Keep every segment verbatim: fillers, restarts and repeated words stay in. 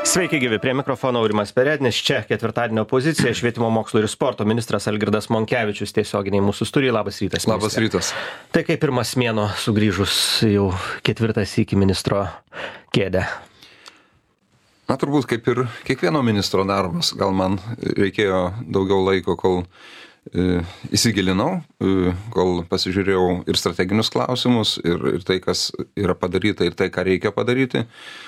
Sveiki gyvi, prie mikrofono Aurimas Perednis, čia ketvirtadienio pozicija, švietimo mokslo ir sporto ministras Algirdas Monkevičius tiesioginiai mūsų studijai. Labas rytas. Labas ministrė. rytas. Tai kaip pirmas mėnuo sugrįžus jau ketvirtas iki ministro kėdę? Na, turbūt kaip ir kiekvieno ministro darbas. Gal man reikėjo daugiau laiko, kol e, įsigilinau, e, kol pasižiūrėjau ir strateginius klausimus, ir, ir tai, kas yra padaryta, ir tai, ką reikia padaryti.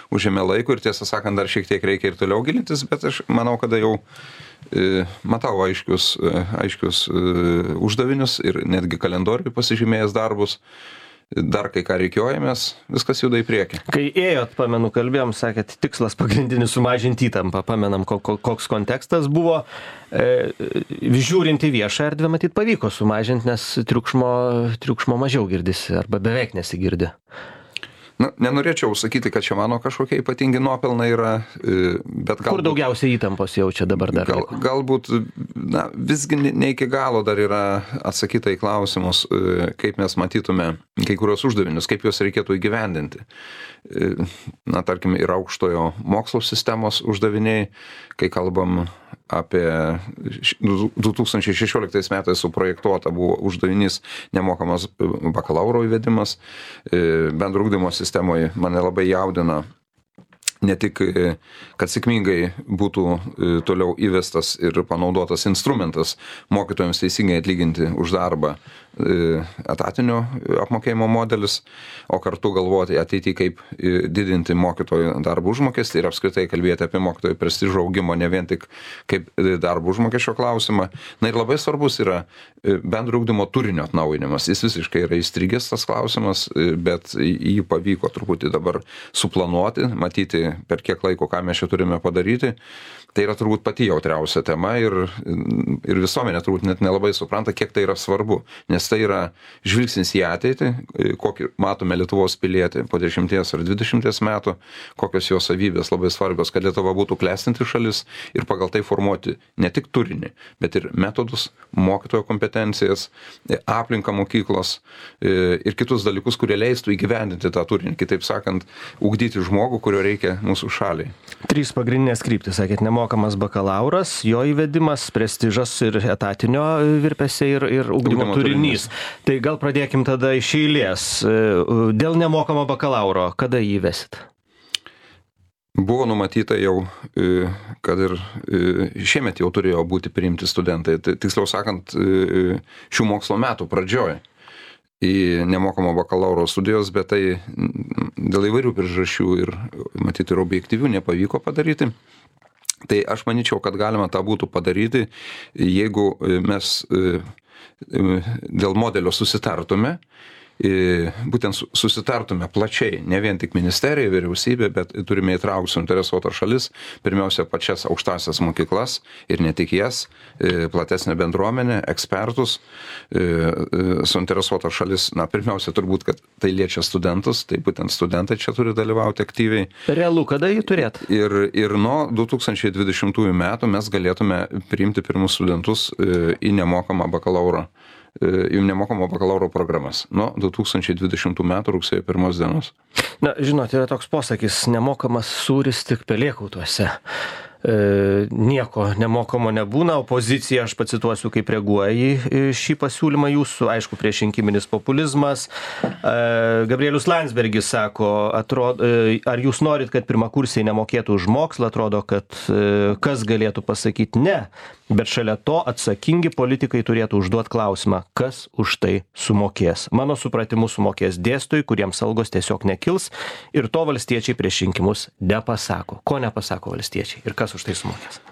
Užėmė laiko ir tiesą sakant, dar šiek tiek reikia ir toliau gilintis, bet aš manau, kada jau e, matau aiškius, e, aiškius e, uždavinius ir netgi kalendoriui pasižymėjęs darbus, dar kai ką reikiojamės, viskas juda į priekį. Kai ėjot, pamenu, kalbėjom, sakėt, tikslas pagrindinis sumažinti įtampą, pamenam, koks kontekstas buvo. E, žiūrint į viešą erdvę, matyt, pavyko sumažinti, nes triukšmo, triukšmo mažiau girdisi arba beveik nesigirdi. Na, nenorėčiau sakyti, kad čia mano kažkokie ypatingi nuopelnai yra, bet galbūt... Kur daugiausiai įtampos jaučia dabar dar? Gal, galbūt, na, visgi ne iki galo dar yra atsakyta į klausimus, kaip mes matytume kai kurios uždavinius, kaip juos reikėtų įgyvendinti. Na, tarkim, yra aukštojo mokslo sistemos uždaviniai, kai kalbam apie du tūkstančiai šešioliktais metais suprojektuota buvo uždavinys nemokamas bakalauro įvedimas. Bendro ugdymo sistemoje mane labai jaudina ne tik, kad sėkmingai būtų toliau įvestas ir panaudotas instrumentas mokytojams teisingai atlyginti už darbą etatinio apmokėjimo modelis, o kartu galvoti ateityje, kaip didinti mokytojų darbo užmokestį ir apskritai kalbėti apie mokytojų prestižo augimo, ne vien tik kaip darbo užmokesčio klausimą. Na ir labai svarbus yra bendro ugdymo turinio atnaujinimas. Jis visiškai yra įstrigęs tas klausimas, bet jį pavyko truputį dabar suplanuoti, matyti per kiek laiko, ką mes čia turime padaryti. Tai yra turbūt pati jautriausia tema ir, ir visuomenė turbūt net nelabai supranta, kiek tai yra svarbu, nes tai yra žvilgsnis į ateitį, kokį matome Lietuvos pilietį po dešimties ar dvidešimties metų, kokios jo savybės labai svarbios, kad Lietuva būtų klestinti šalis ir pagal tai formuoti ne tik turinį, bet ir metodus, mokytojo kompetencijas, aplinką mokyklos ir kitus dalykus, kurie leistų įgyvendinti tą turinį, kitaip sakant, ugdyti žmogų, kurio reikia mūsų šaliai. Trys pagrindinės kryptis, sakėt, nemokamas bakalauras, jo įvedimas, prestižas ir etatinio virpėse ir, ir ugdymo, ugdymo turinys. turinys. Tai gal pradėkim tada iš eilės. Dėl nemokamo bakalauro, kada jį įvesit? Buvo numatyta jau, kad ir šiemet jau turėjo būti priimti studentai. Tiksliau sakant, šių mokslo metų pradžioje į nemokamo bakalauro studijos, bet tai dėl įvairių priežasčių ir matyti ir objektyvių nepavyko padaryti. Tai aš manyčiau, kad galima tą būtų padaryti, jeigu mes dėl modelio susitartume, būtent susitartume plačiai, ne vien tik ministerija, vyriausybė, bet turime įtraukti suinteresuotas šalis, pirmiausia pačias aukštasias mokyklas ir ne tik jas, platesnę bendruomenę, ekspertus, suinteresuotas šalis, na, pirmiausia turbūt, kad tai liečia studentus, tai būtent studentai čia turi dalyvauti aktyviai. Realu, kada jį turėt? Ir, ir nuo du tūkstančiai dvidešimtųjų metų mes galėtume priimti pirmus studentus į nemokamą bakalauro jų nemokamo bakalauro programas nuo du tūkstančiai dvidešimtų metų rugsėjo pirmos dienos. Na, žinot, yra toks posakis, nemokamas sūris tik pelėkautuose. E, nieko nemokamo nebūna, opozicija, aš pacituosiu, kaip reaguoja į šį pasiūlymą jūsų, aišku, priešrinkiminis populizmas. E, Gabrielius Landsbergis sako, atrodo, e, ar jūs norit, kad pirmakursiai nemokėtų už mokslą, atrodo, kad e, kas galėtų pasakyti ne, bet šalia to atsakingi politikai turėtų užduoti klausimą, kas už tai sumokės. Mano supratimu sumokės dėstytojai, kuriems algos tiesiog nekils ir to valstiečiai prieš rinkimus nepasako. Ko nepasako valstiečiai ir kas už tai sumokės?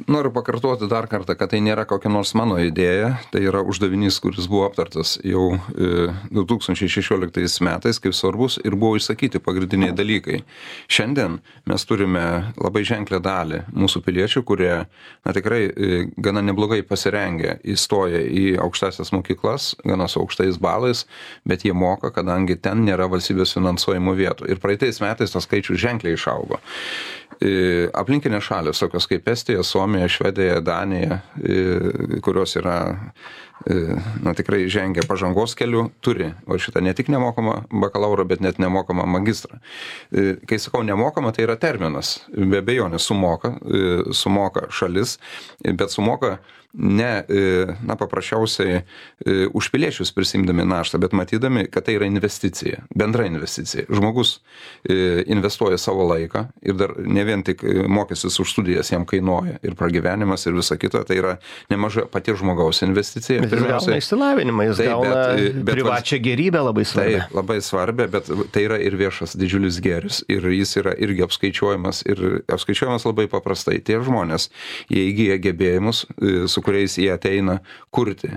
Noriu pakartoti dar kartą, kad tai nėra kokia nors mano idėja, tai yra uždavinys, kuris buvo aptartas jau du tūkstančiai šešioliktais metais kaip svarbus ir buvo išsakyti pagrindiniai dalykai. Šiandien mes turime labai ženklę dalį mūsų piliečių, kurie na, tikrai gana neblogai pasirengę įstoja į aukštasias mokyklas, gana su aukštais balais, bet jie moka, kadangi ten nėra valstybės finansuojamų vietų. Ir praeitais metais tas skaičius ženkliai išaugo. Aplinkinės šalis, tokios kaip Estija, Suomija, Švedija, Danija, kurios yra, na, tikrai žengia pažangos keliu, turi o šitą ne tik nemokamą bakalaurą, bet net nemokamą magistrą. Kai sakau nemokamą, tai yra terminas. Be abejonės sumoka, sumoka šalis, bet sumoka ne, na, paprasčiausiai už piliečius prisimdami naštą, bet matydami, kad tai yra investicija, bendra investicija. Žmogus investuoja savo laiką ir dar ne vien tik mokestis už studijas jam kainuoja ir pragyvenimas ir visa kita, tai yra nemaža paties žmogaus investicija. Bet jis gauna išsilavinimą, jis tai, gauna bet, bet, privačią gerybę labai svarbią. Tai labai svarbią, bet tai yra ir viešas didžiulis gėris ir jis yra irgi apskaičiuojamas ir apskaičiuojamas labai paprastai. Tie žmonės, jie įgyja gebėjimus, su kuriais jie ateina kurti,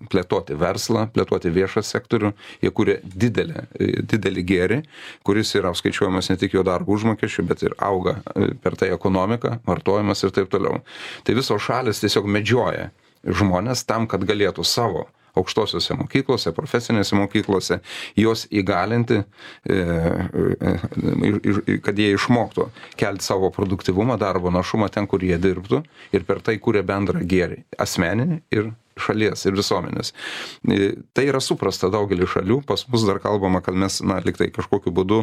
plėtoti verslą, plėtoti viešą sektorių, jie kuria didelį, didelį gėrį, kuris yra apskaičiuojamas ne tik jo darbo užmokesčių, bet ir auga per tai ekonomika, vartojimas ir taip toliau. Tai visos šalis tiesiog medžioja žmonės tam, kad galėtų savo aukštosiuose mokyklose, profesinėse mokyklose, juos įgalinti, kad jie išmoktų kelti savo produktyvumą, darbo našumą ten, kur jie dirbtų ir per tai kuria bendrą gėrį, asmeninį ir šalies ir visuomenės. Tai yra suprasta daugelį šalių, pas mus dar kalbama, kad mes, na, liktai kažkokiu būdu,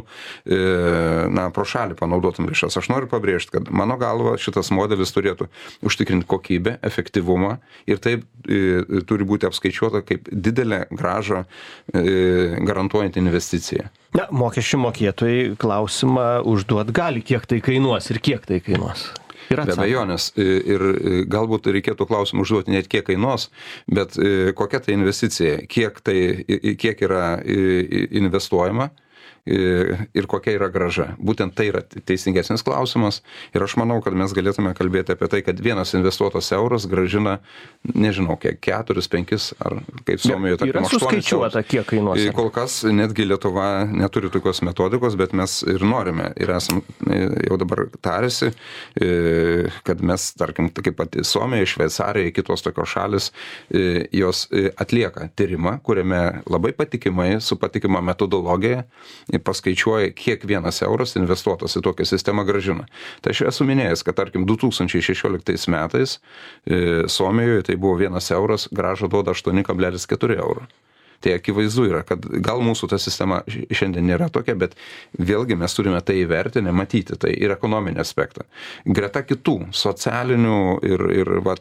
na, pro šalį panaudotum lėšas. Aš noriu pabrėžti, kad mano galva šitas modelis turėtų užtikrinti kokybę, efektyvumą ir taip e, turi būti apskaičiuota kaip didelė grąža e, garantuojant investiciją. Na, mokesčių mokėtojai klausimą užduot gali, kiek tai kainuos ir kiek tai kainuos. Be abejonės. Ir galbūt reikėtų klausimą užduoti net kiek kainuos, bet kokia tai investicija, kiek, tai, kiek yra investuojama ir kokia yra grąža. Būtent tai yra teisingesnis klausimas ir aš manau, kad mes galėtume kalbėti apie tai, kad vienas investuotas euras grąžina, nežinau, kiek keturis, penkis ar kaip Suomijoje, tarkim, aštuonis. Yra suskaičiuota, kiek kainuos. Kol kas netgi Lietuva neturi tokios metodikos, bet mes ir norime ir esam jau dabar tarėsi, kad mes, tarkim, kaip pati Suomija, Šveicarija, kitos tokios šalis, jos atlieka tyrimą, kuriame labai patikimai, su patikima metodologija paskaičiuoja, kiek vienas euras investuotas į tokią sistemą grąžina. Tai aš esu minėjęs, kad tarkim du tūkstančiai šešioliktais metais e, Suomijoje tai buvo vienas euras, grąža duoda aštuoni kablelis keturi euro. Tai akivaizdu yra, kad gal mūsų ta sistema šiandien nėra tokia, bet vėlgi mes turime tai įvertinę, matyti tai ir ekonominį aspektą. Greta kitų socialinių ir, ir va,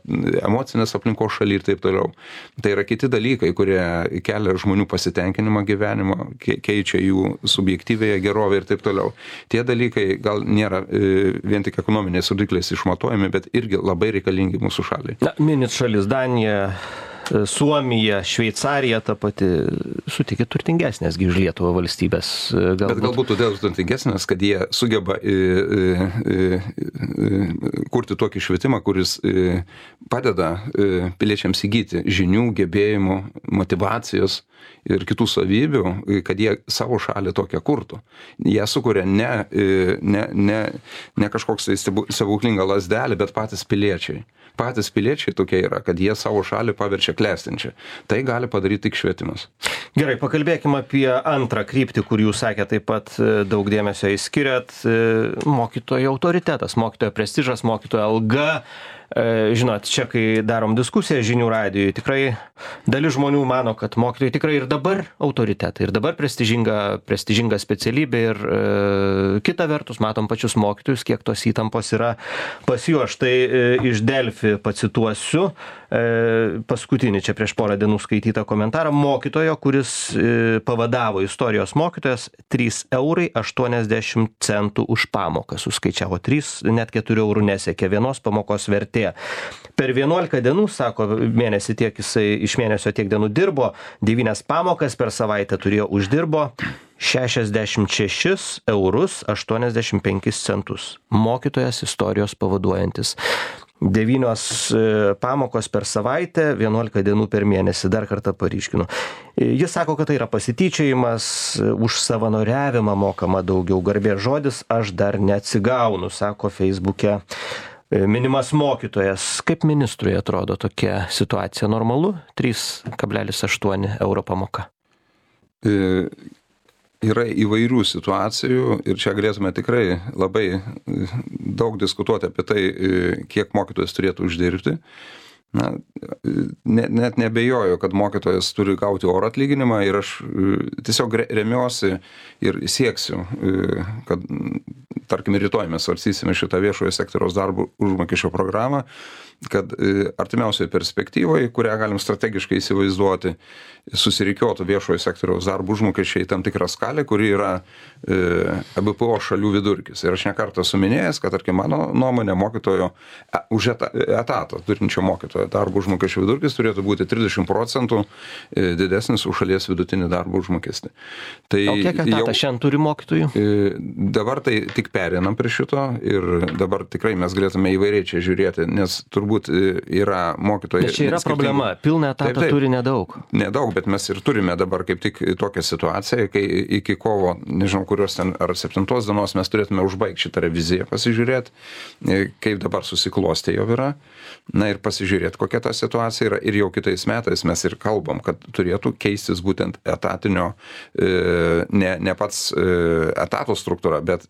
emocinės aplinkos šaly ir taip toliau. Tai yra kiti dalykai, kurie kelia žmonių pasitenkinimą gyvenimo, keičia jų subjektyvėje gerovę ir taip toliau. Tie dalykai gal nėra e, vien tik ekonominiais rodikliais išmatuojami, bet irgi labai reikalingi mūsų šaliai. Na, minit šalis Danija, Suomija, Šveicarija ta pati, sutikė turtingesnės gi už Lietuvą valstybės. Galbūt. Bet galbūt todėl turtingesnės, kad jie sugeba e, e, e, kurti tokį švietimą, kuris e, padeda e, piliečiams įgyti žinių, gebėjimų, motivacijos ir kitų savybių, kad jie savo šalį tokią kurtų. Jie sukuria ne, ne, ne, ne kažkoks stebuklinga lasdelė, bet patys piliečiai. Patys piliečiai tokie yra, kad jie savo šalį paverčia klestinčią. Tai gali padaryti tik švietimas. Gerai, pakalbėkime apie antrą kryptį, kur jūs sakėte taip pat daug dėmesio įskiriat. Mokytojo autoritetas, mokytojo prestižas, mokytojo alga. Žinot, čia kai darom diskusiją žinių radijui, tikrai dalis žmonių mano, kad mokytojai tikrai ir dabar autoritetai, ir dabar prestižinga, prestižinga specialybė ir e, kita vertus matom pačius mokytojus, kiek tos įtampos yra pas juos. Štai e, iš Delfi pacituosiu e, paskutinį čia prieš porą dienų skaitytą komentarą mokytojo, kuris e, pavadavo istorijos mokytojas trys eurai aštuoniasdešimt centų už pamoką. Suskaičiavo trys, net keturių eurų nesiekė vienos pamokos vertė. Per vienuolika dienų, sako, mėnesį tiek jisai iš mėnesio tiek dienų dirbo, devynias pamokas per savaitę turėjo, uždirbo šešiasdešimt šešis eurus aštuoniasdešimt penkis centus. Mokytojas istorijos pavaduojantis. Devynios pamokos per savaitę, vienuolika dienų per mėnesį, dar kartą paryškinu. Jis sako, kad tai yra pasityčiojimas, už savanoriavimą mokama daugiau, garbės žodis, aš dar neatsigaunu, sako Feisbuke minimas mokytojas. Kaip ministrui atrodo tokia situacija, normalu? trys kablelis aštuoni euro pamoka. E, yra įvairių situacijų ir čia galėtume tikrai labai daug diskutuoti apie tai, kiek mokytojas turėtų uždirbti. Na, net, net nebejoju, kad mokytojas turi gauti orų atlyginimą ir aš tiesiog remiuosi ir sieksiu, kad, tarkim, rytoj mes svarstysime šitą viešojo sektoriaus darbo užmokesčio programą, kad artimiausioje perspektyvoje, kurią galim strategiškai įsivaizduoti, susirikiotų viešojo sektoriaus darbo užmokesčiai tam tikrą skalę, kuri yra E B P O šalių vidurkis. Ir aš nekartą suminėjęs, kad, tarkim, mano nuomonė mokytojo už etatą turinčio mokytojo darbo užmokesčio vidurkis turėtų būti trisdešimt procentų didesnis už šalies vidutinį darbo užmokestį. Tai o kiek etatą šiandien turi mokytojų? Dabar tai tik pereinam prie šito ir dabar tikrai mes galėtume įvairiai čia žiūrėti, nes turbūt yra mokytojai. Bet čia yra problema, pilną etatą taip, taip, turi nedaug. Nedaug, bet mes ir turime dabar kaip tik tokią situaciją, kai iki kovo, nežinau, kurios ten ar septintos dienos mes turėtume užbaigti šitą reviziją, pasižiūrėti, kaip dabar susiklostė jau yra, na ir pasižiūrėti, kokia ta situacija yra. Ir jau kitais metais mes ir kalbam, kad turėtų keistis būtent etatinio, ne, ne pats etato struktūra, bet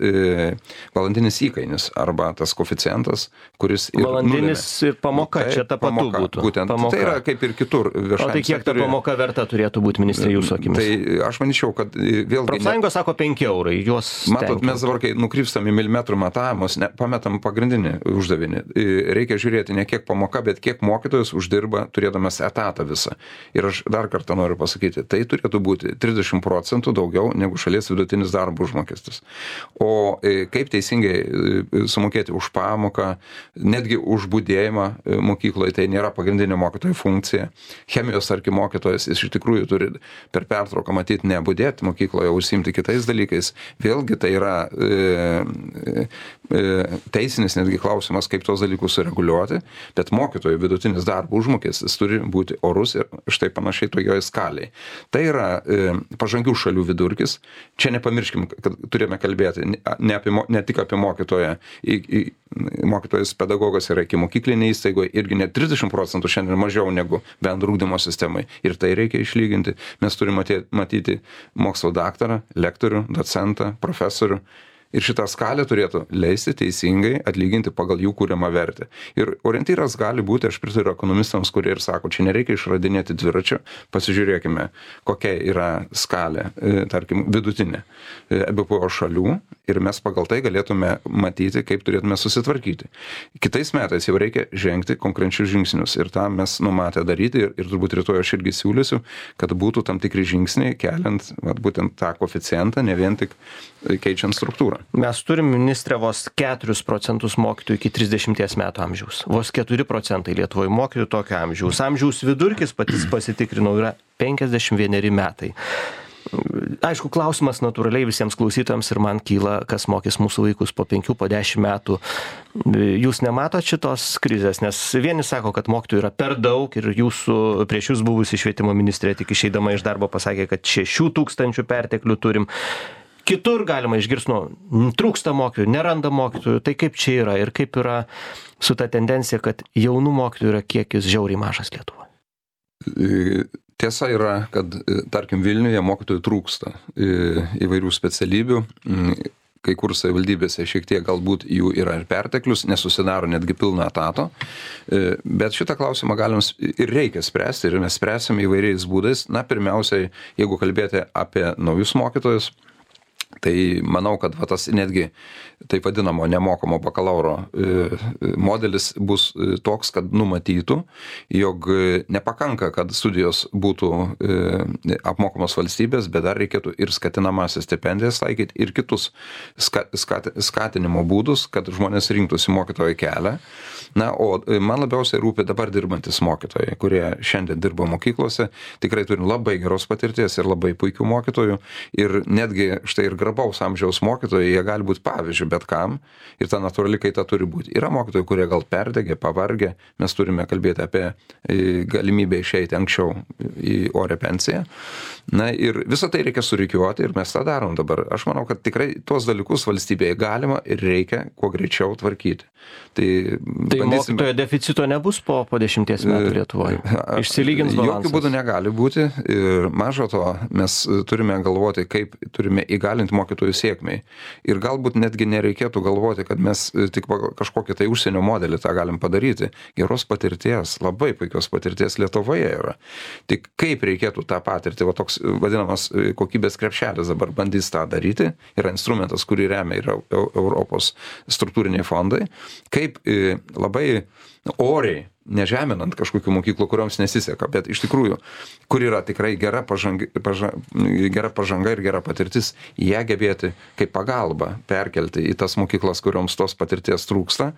valandinis įkainis arba tas koeficientas, kuris ir valandinis nulėmė. Ir pamoka, tai, čia ta patu pamoka, būtų. Būtent, pamoka. Tai yra kaip ir kitur viešajam sektoriuje. O tai kiek ta pamoka verta turėtų būti, ministrė, jūsų akimis? Tai aš manyčiau, kad vėlgi... Profsąjungos sako penki eurai, juos matot, mes dabar, kai nukrypstam į milimetrų matavimus, ne, pametam pagrindinį uždavinį. Reikia žiūrėti ne kiek pamoka, bet kiek mokytojas uždirba turėdamas etatą visą. Ir aš dar kartą noriu pasakyti, tai turėtų būti trisdešimt procentų daugiau negu šalies vidutinis darbo užmokestis. O kaip teisingai sumokėti už pamoką, netgi už budėjimą mokykloje, tai nėra pagrindinė mokytojo funkcija. Chemijos, tarkim, mokytojas jis iš tikrųjų turi per pertrauką matyti nebudėti mokykloje, užsiimti kitais dalykais. Vėlgi tai yra e, e, teisinis netgi klausimas, kaip tos dalykus sureguliuoti, bet mokytojų vidutinis darbo užmokestis turi būti orus ir štai panašiai tojoje skaliai. Tai yra e, pažangių šalių vidurkis. Čia nepamirškim, kad turime kalbėti ne, apie, ne tik apie mokytoją. Į, į, mokytojas pedagogas yra iki mokyklinė įstaigoje irgi net trisdešimt procentų šiandien mažiau negu bendro ugdymo sistemai. Ir tai reikia išlyginti. Mes turime matyti, matyti mokslo daktarą, lektorių, docentą, profesorių. Ir šitą skalę turėtų leisti teisingai atlyginti pagal jų kūriamą vertę. Ir orientyras gali būti, aš pritariu ekonomistams, kurie ir sako, čia nereikia išradinėti dviračio, pasižiūrėkime, kokia yra skalė, tarkim, vidutinė E B P O šalių ir mes pagal tai galėtume matyti, kaip turėtume susitvarkyti. Kitais metais jau reikia žengti konkrečius žingsnius ir tą mes numatę daryti ir, ir turbūt rytoj aš irgi siūlysiu, kad būtų tam tikri žingsniai keliant vat, būtent tą koeficientą, ne vien tik keičiant struktūrą. Mes turim, ministrė, vos keturis procentus mokytojų iki trisdešimties metų amžiaus. Vos keturi procentai Lietuvoje mokytojų tokio amžiaus. Amžiaus vidurkis, patys pasitikrinau, yra penkiasdešimt vieneri metai. Aišku, klausimas natūraliai visiems klausytojams ir man kyla, kas mokys mūsų vaikus po penkių, po dešimt metų. Jūs nematot šitos krizės, nes vieni sako, kad mokytojų yra per daug ir jūsų, prieš jūs buvusi švietimo ministrė tik išeidama iš darbo pasakė, kad šešių tūkstančių perteklių turim. Kitur galima išgirsti, nu, trūksta mokytojų, neranda mokytojų, tai kaip čia yra ir kaip yra su ta tendencija, kad jaunų mokytojų yra kiekis žiauriai mažas Lietuvoje? Tiesa yra, kad, tarkim, Vilniuje mokytojų trūksta įvairių specialybių, kai kur savivaldybėse šiek tiek galbūt jų yra ir perteklius, nesusidaro netgi pilno etato, bet šitą klausimą galim ir reikia spręsti ir mes spręsim įvairiais būdais. Na, pirmiausiai, jeigu kalbėti apie naujus mokytojus, tai manau, kad va, tas netgi taip vadinamo nemokamo bakalauro modelis bus toks, kad numatytų, jog nepakanka, kad studijos būtų apmokamos valstybės, bet dar reikėtų ir skatinamąsias stipendijas taikyti ir kitus skatinimo būdus, kad žmonės rinktųsi mokytojo kelią. Na, o man labiausiai rūpi dabar dirbantis mokytojai, kurie šiandien dirba mokyklose, tikrai turim labai geros patirties ir labai puikių mokytojų ir netgi štai ir garbaus amžiaus mokytojai, jie gali būti pavyzdžių bet kam ir ta natūrali kaita turi būti. Yra mokytojai, kurie gal perdegė, pavargė, mes turime kalbėti apie galimybę išeiti anksčiau į orę pensiją. Na ir visą tai reikia surikiuoti ir mes tą darom dabar. Aš manau, kad tikrai tuos dalykus valstybėje galima ir reikia kuo greičiau tvarkyti. Tai, tai bandysime... mokytojo deficito nebus po, po dešimties metų Lietuvoje? Išsilygins balansas? Jokių būdų negali būti ir mažo to mes turime galvoti, kaip turime įgalinti mokytojų sėkmei. Ir galbūt netgi nereikėtų galvoti, kad mes tik kažkokį tai užsienio modelį tą galim padaryti. Geros patirties, labai puikios patirties Lietuvoje yra. Tik kaip reikėtų tą patirtį, va toks vadinamas kokybės krepšelis dabar bandys tą daryti, yra instrumentas, kurį remia yra Europos struktūriniai fondai, kaip labai oriai, nežeminant kažkokių mokyklų, kurioms nesiseka, bet iš tikrųjų, kur yra tikrai gera pažanga, paža, gera pažanga ir gera patirtis, ją gebėti kaip pagalba perkelti į tas mokyklas, kurioms tos patirties trūksta.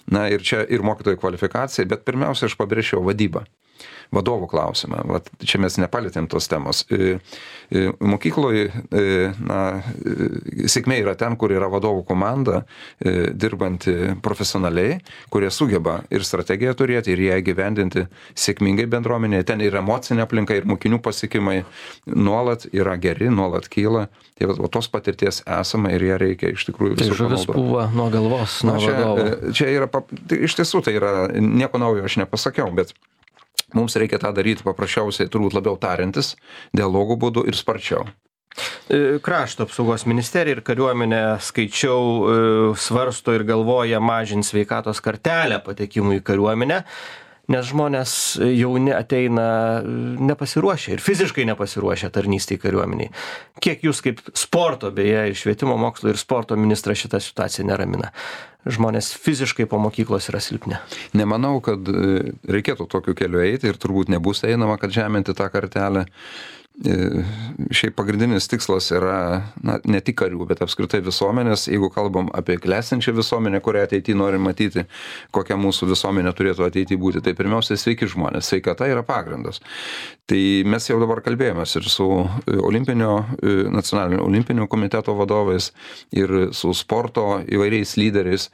Na ir čia ir mokytojų kvalifikacija, bet pirmiausia, aš pabrėžčiau vadybą. Vadovų klausimą. Vat čia mes nepalėtėm tos temos. Mokykloje na, sėkmė yra ten, kur yra vadovų komanda, dirbanti profesionaliai, kurie sugeba ir strategiją turėti, ir ją gyvendinti sėkmingai bendruomenėje. Ten ir emocinė aplinka, ir mokinių pasiekimai nuolat yra geri, nuolat kyla. Tai va, tos patirties esama ir ją reikia iš tikrųjų visur panaudoti. Tai žuvis pūva nuo galvos, nuo čia, vadovo. Čia yra, tai iš tiesų tai yra, nieko naujo aš nepasakiau, bet mums reikia tą daryti paprasčiausiai, turbūt labiau tariantis, dialogų būdu ir sparčiau. Krašto apsaugos ministerija ir kariuomenė, skaičiau, svarsto ir galvoja mažinti sveikatos kartelę patekimui į kariuomenę, nes žmonės jauni ateina nepasiruošę ir fiziškai nepasiruošę tarnystei kariuomeniai. Kiek jūs kaip sporto, beje, ir švietimo mokslo ir sporto ministras šitą situaciją neramina? Žmonės fiziškai po mokyklos yra silpni. Nemanau, kad reikėtų tokiu keliu eiti ir turbūt nebus einama, kad žeminti tą kartelę. Šiaip pagrindinis tikslas yra na, ne tik karių, bet apskritai visuomenės. Jeigu kalbam apie klestinčią visuomenę, kurią ateityje norim matyti, kokia mūsų visuomenė turėtų ateityje būti, tai pirmiausia sveiki žmonės. Sveikata yra pagrindas. Tai mes jau dabar kalbėjomės ir su olimpinio, nacionalinio olimpinio komiteto vadovais, ir su sporto įvairiais lyderiais.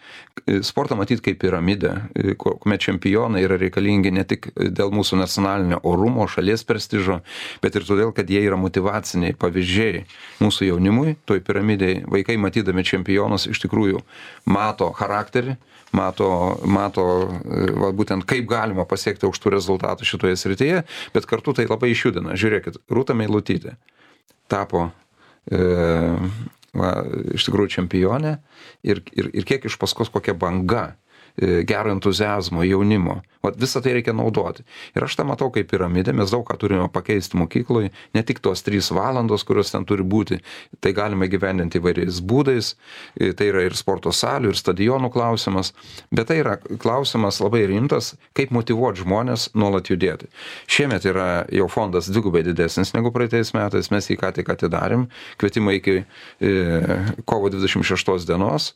Sportą matyti kaip piramidę, kuomet čempionai yra reikalingi ne tik dėl mūsų nacionalinio orumo, šalies prestižo, bet ir todėl, kad jie yra motyvaciniai pavyzdžiai mūsų jaunimui, toj piramidėje. Vaikai matydami čempionus iš tikrųjų mato charakterį, mato, mato va, būtent kaip galima pasiekti aukštų rezultatų šitoje srityje, bet kartu tai labai išjudina. Žiūrėkit, Rūta Meilutytė tapo e, va, iš tikrųjų čempionė ir, ir, ir kiek iš paskos kokia banga gero entuziazmo, jaunimo. Vat visą tai reikia naudoti. Ir aš tą matau kaip piramidę, mes daug ką turime pakeisti mokykloje, ne tik tos trys valandos, kurios ten turi būti, tai galime gyvendinti įvairiais būdais, tai yra ir sporto salių, ir stadionų klausimas, bet tai yra klausimas labai rimtas, kaip motyvuoti žmonės nuolat judėti. Šiemet yra jau fondas dvigubai didesnis negu praeitais metais, mes jį ką tik atidarėm, kvietimai iki e, kovo dvidešimt šeštos dienos,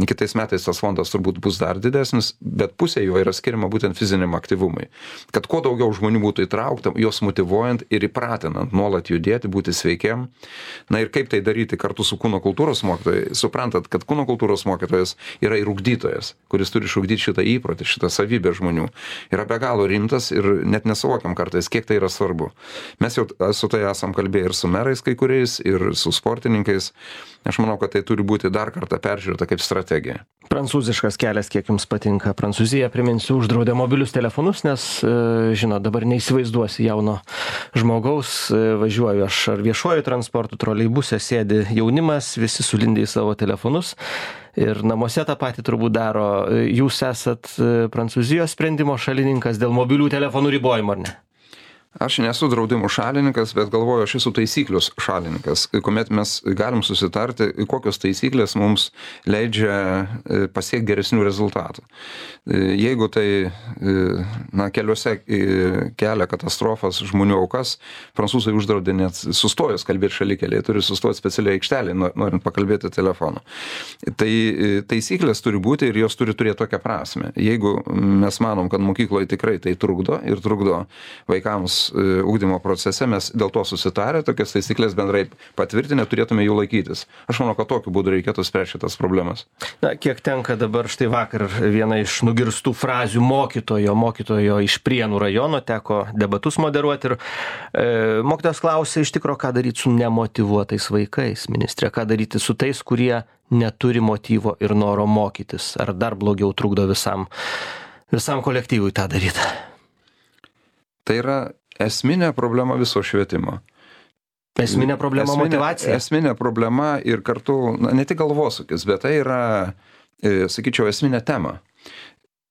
kitais metais tas fondas turbūt bus dar didesnis, bet pusė jo yra skiriama būtent fiziniam aktyvumui. Kad kuo daugiau žmonių būtų įtraukta, juos motyvuojant ir įpratinant nuolat judėti, būti sveikiam. Na ir kaip tai daryti kartu su kūno kultūros mokytojai, suprantat, kad kūno kultūros mokytojas yra ir ugdytojas, kuris turi išugdyti šitą įprotį, šitą savybę žmonių. Yra be galo rimtas ir net nesuvokiam kartais, kiek tai yra svarbu. Mes jau su tai esam kalbėję ir su merais kai kuriais, ir su sportininkais. Aš manau, kad tai turi būti dar kartą peržiūrėta kaip strategija. Prancūziškas kelias, kiek jums patinka. Prancūzija, priminsiu, uždraudė mobilius telefonus, nes, žinot, dabar neįsivaizduosi jauno žmogaus, važiuoju aš ar viešuoju transportu, troleibuse sėdi jaunimas, visi sulindę į savo telefonus ir namuose tą patį turbūt daro. Jūs esat Prancūzijos sprendimo šalininkas dėl mobilių telefonų ribojimo, ar ne? Aš nesu draudimų šalininkas, bet galvoju, aš esu taisyklių šalininkas, kuomet mes galim susitarti, kokios taisyklės mums leidžia pasiekti geresnių rezultatų. Jeigu tai na, keliuose kelia katastrofas, žmonių aukas, prancūzai uždraudė net sustojus kalbėti šalikeliai, turi sustoti specialiai aikštelį, norint pakalbėti telefonu. Tai taisyklės turi būti ir jos turi turėti tokią prasme. Jeigu mes manom, kad mokykloje tikrai tai trukdo ir trukdo vaikams ugdymo procese mes dėl to susitarę, tokias taisyklės bendrai patvirtinę, turėtume jų laikytis. Aš manau, kad tokiu būdu reikėtų spręsti šitas problemas. Na, kiek tenka dabar štai vakar viena iš nugirstų frazių mokytojo, mokytojo iš Prienų rajono, teko debatus moderuoti ir e, mokytojas klausė iš tikro, ką daryti su nemotyvuotais vaikais, ministrė, ką daryti su tais, kurie neturi motyvo ir noro mokytis, ar dar blogiau trukdo visam, visam kolektyvui tą daryti. Tai yra esminė problema viso švietimo. Esminė problema esminė, motyvacija. Esminė problema ir kartu, na, ne tik galvosūkis, bet tai yra, e, sakyčiau, esminė tema.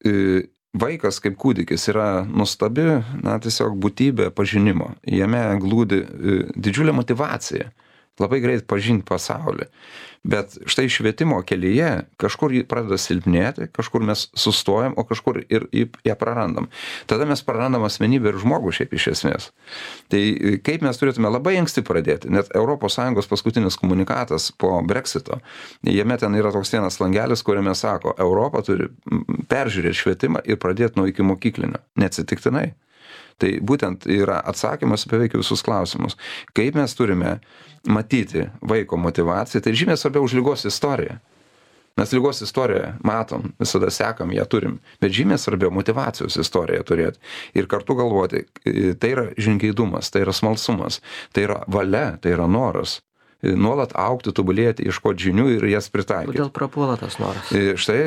E, vaikas kaip kūdikis yra nuostabi, na, tiesiog būtybė pažinimo. Jame glūdi e, didžiulė motyvacija. Labai greit pažinti pasaulį. Bet štai švietimo kelyje kažkur jį pradeda silpnėti, kažkur mes sustojam, o kažkur ir ją prarandam. Tada mes prarandam asmenybę ir žmogų šiaip iš esmės. Tai kaip mes turėtume labai anksti pradėti, net Europos Sąjungos paskutinis komunikatas po Brexito, jame ten yra toks vienas langelis, kuriame sako, Europa turi peržiūrėti švietimą ir pradėti nuo ikimokyklinio. Neatsitiktinai. Tai būtent yra atsakymas beveik visus klausimus. Kaip mes turime matyti vaiko motyvaciją, tai žymiai svarbiau už ligos istoriją. Mes ligos istoriją matom, visada sekam, ją turim, bet žymiai svarbiau motyvacijos istoriją turėti. Ir kartu galvoti, tai yra žingeidumas, tai yra smalsumas, tai yra valia, tai yra noras. Nuolat augti, tobulėti, ieškoti žinių ir jas pritaikyti. Kodėl prapuola tas noras? Štai,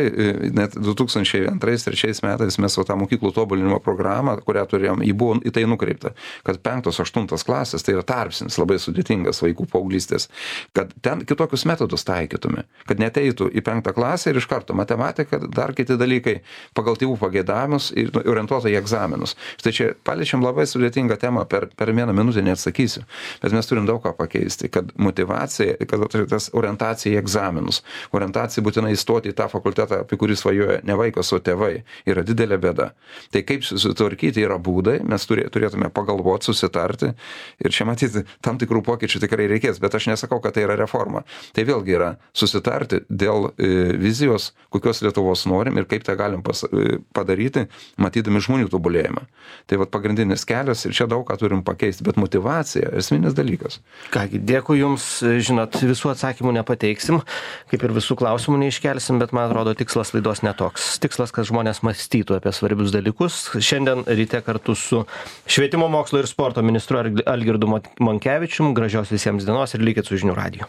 net du tūkstančiai antrais trečiais metais mes tą mokyklų tobulinimo programą, kurią turėjom, į buvo į tai nukreipta, kad penktos, aštuntos klasės, tai yra tarpsnis, labai sudėtingas vaikų paauglystės, kad ten kitokius metodus taikytume, kad neteitų į penktą klasę ir iš karto matematika, dar kiti dalykai pagal tėvų pageidavimus ir orientuota į egzaminus. Štai čia paliečiam labai sudėtingą temą, per, per vieną minutę neatsakysiu, bet mes turim daug ką pakeisti, kad motyvacija, kad tas orientacija į egzaminus, orientacija būtinai įstoti į tą fakultetą, apie kurį svajoja ne vaikas, o tėvai, yra didelė bėda. Tai kaip susitvarkyti yra būdai, mes turėtume pagalvoti, susitarti ir čia matyti tam tikrų pokyčių tikrai reikės, bet aš nesakau, kad tai yra reforma. Tai vėlgi yra susitarti dėl e, vizijos, kokios Lietuvos norim ir kaip tą galim pas, e, padaryti, matydami žmonių tobulėjimą. Tai vat pagrindinis kelias ir čia daug ką turim pakeisti, bet motyvacija esminis dalykas. Kągi, dėkui Jums. Žinot, visų atsakymų nepateiksim, kaip ir visų klausimų neiškelsim, bet man atrodo tikslas laidos netoks. Tikslas, kad žmonės mąstytų apie svarbius dalykus. Šiandien ryte kartu su Švietimo, mokslo ir sporto ministru Algirdu Monkevičium. Gražios visiems dienos ir likit su žinių radiju.